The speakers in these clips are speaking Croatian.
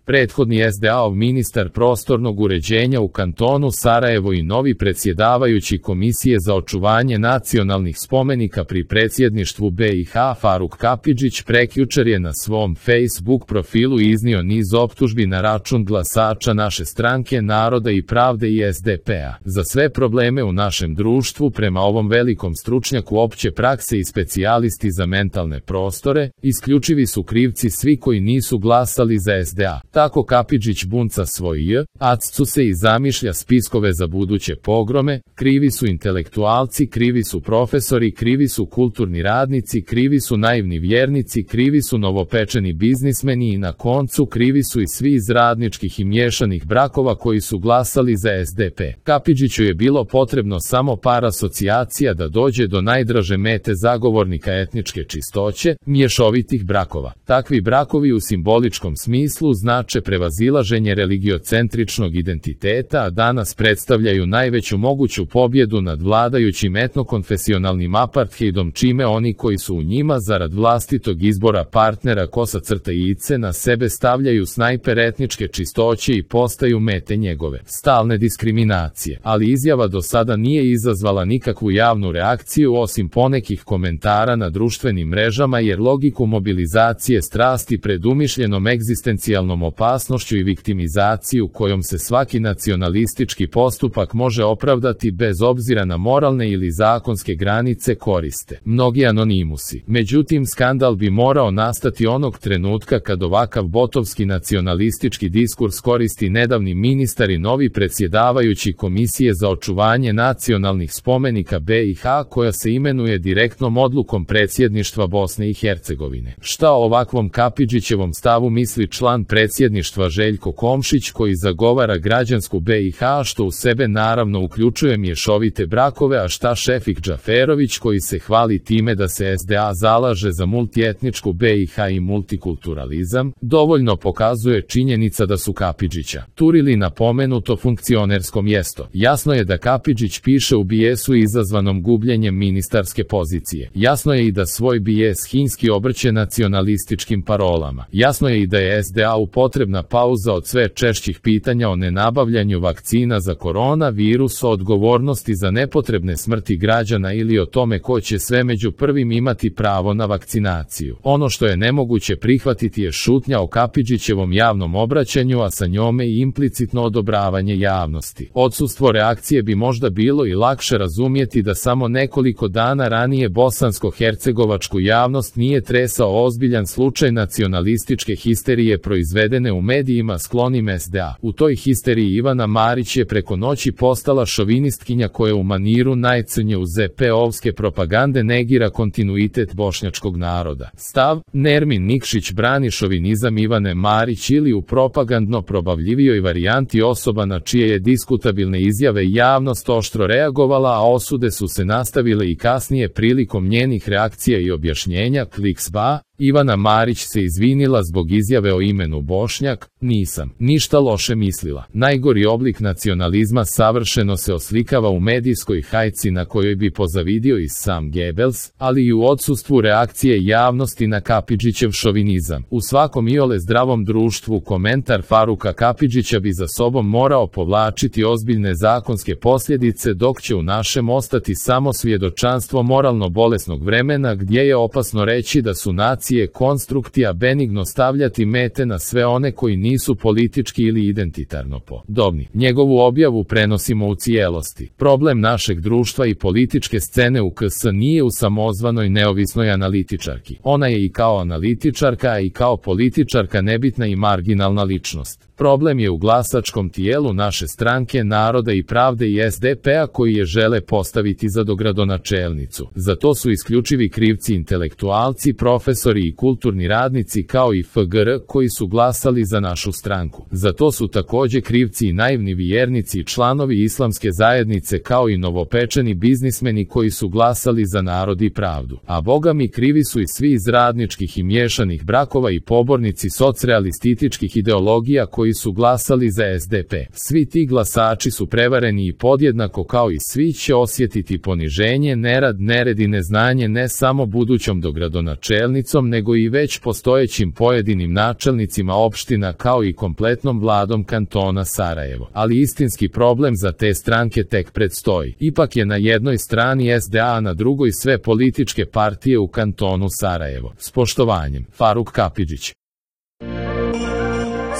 Prethodni SDA-ov ministar prostornog uređenja u kantonu Sarajevo i novi predsjedavajući Komisije za očuvanje nacionalnih spomenika pri predsjedništvu BiH Faruk Kapidžić prekjučer je na svom Facebook profilu iznio niz optužbi na račun glasača naše stranke Naroda i pravde i SDP-a. Za sve probleme u našem društvu, prema ovom velikom stručnjaku opće prakse i specijalisti za mentalne prostore, isključivi su krivci svi koji nisu glasali za SDA. Tako Kapidžić bunca svoj accu se i zamišlja spiskove za buduće pogrome, krivi su intelektualci, krivi su profesori, krivi su kulturni radnici, krivi su naivni vjernici, krivi su novopečeni biznismeni i na koncu krivi su i svi iz radničkih i miješanih brakova koji su glasali za SDP. Kapidžiću je bilo potrebno samo par asocijacija da dođe do najdraže mete zagovornika etničke čistoće, mješovitih brakova. Takvi brakovi u simboličkom smislu znače prevazilaženje religiocentričnog identiteta, a danas predstavljaju najveću moguću pobjedu nad vladajućim etnokonfesionalnim apartheidom, čime oni koji su u njima zarad vlastitog izbora partnera kosa-ice na sebe stavljaju snajper etničke čistoće i postaju mete njegove stalne diskriminacije. Ali izjava do sada nije izazvala nikakvu javnu reakciju osim ponekih komentara na društvenim mrežama, jer logiku mobilizacije strasti pred umišljenom egzistencijalnom opasnošću i viktimizaciju kojom se svaki nacionalistički postupak može opravdati bez obzira na moralne ili zakonske granice koriste mnogi anonimusi. Međutim, skandal bi morao nastati onog trenutka kad ovakav botovski nacionalistički diskurs koristi nedavni ministar i novi predsjedavajući Komisije za očuvanje nacionalnih spomenika BiH, koja se imenuje direktnom odlukom predsjedništva Bosne i Hercegovine. Šta o ovakvom Kapidžićevom stavu misli član predsjedništva Željko Komšić, koji zagovara građansku BiH, što u sebe naravno uključuje mješovite brakove, a šta Šefik Džaferović, koji se hvali time da se SDA zalaže za multietničku BiH i multikulturalizam? Dovoljno pokazuje činjenica da su Kapidžića turili na pomenuto funkcionersko mjesto. Jasno je da Kapidžić piše u bijesu izazvanom gubljenjem ministarske pozicije. Jasno je i da svoj bijes hinski obrće nacionalističkim parolama. Jasno je i da je SDA-u potrebna pauza od sve češćih pitanja o nenabavljanju vakcina za koronavirus, o odgovornosti za nepotrebne smrti građana ili o tome ko će sve među prvim imati pravo na vakcinaciju. Ono što je nemoguće prihvatiti je šutnja o Kapidžićevom javnom obraćanju, a sa njome i implicitno odobravanje javnosti. Odsustvo reakcije bi možda bilo i lakše razumjeti da samo nekoliko dana ranije bosansko-hercegovačku javnost nije tresao ozbiljan slučaj nacionalističke histerije proizvedene u medijima sklonim SDA. U toj histeriji Ivana Marić je preko noći postala šovinistkinja koja u maniru najcrnje u ZP-ovske propagande negira kontinuitet bošnjačkog naroda. Stav: Nermin Nikšić brani šovinizam Ivane Marić, ili u propagandno probavljivijoj varijanti osoba na čije je diskutabilne izjave javnost oštro reagovala, a osude su se nastavile i kasnije prilikom njenih reakcija i objašnjenja. Kliksba: Ivana Marić se izvinila zbog izjave o imenu Bošnjak. Nisam ništa loše mislila. Najgori oblik nacionalizma savršeno se oslikava u medijskoj hajci na kojoj bi pozavidio i sam Goebbels, ali i u odsustvu reakcije javnosti na Kapidžićev šovinizam. U svakom iole zdravom društvu komentar Faruka Kapidžića bi za sobom morao povlačiti ozbiljne zakonske posljedice, dok će u našem ostati samo svjedočanstvo moralno bolesnog vremena gdje je opasno reći da su nacije konstruktija, benigno stavljati mete na sve one koji nisu politički ili identitarno podobni. Njegovu objavu prenosimo u cijelosti. Problem našeg društva i političke scene u KS nije u samozvanoj neovisnoj analitičarki. Ona je i kao analitičarka, a i kao političarka nebitna i marginalna ličnost. Problem je u glasačkom tijelu naše stranke Naroda i pravde i SDP-a, koji je žele postaviti za dogradonačelnicu. Za to su isključivi krivci intelektualci, profesori i kulturni radnici, kao i FGR koji su glasali za našu stranku. Za to su također krivci i naivni vjernici i članovi islamske zajednice, kao i novopečeni biznismeni koji su glasali za Narod i pravdu. A boga mi, krivi su i svi iz radničkih i miješanih brakova i pobornici socrealističkih ideologija koji su glasali za SDP. Svi ti glasači su prevareni i podjednako kao i svi će osjetiti poniženje, nerad, nered i neznanje ne samo budućom dogradonačelnicom, SDA-om nego i već postojećim pojedinim načelnicima opština kao i kompletnom vladom kantona Sarajevo. Ali istinski problem za te stranke tek predstoji. Ipak je na jednoj strani SDA, a na drugoj sve političke partije u kantonu Sarajevo. S poštovanjem, Faruk Kapidžić.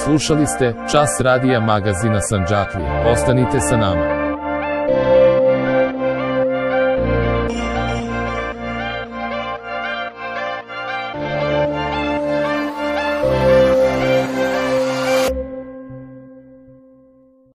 Slušali ste Čas radija magazina Sandžaklije. Ostanite sa nama.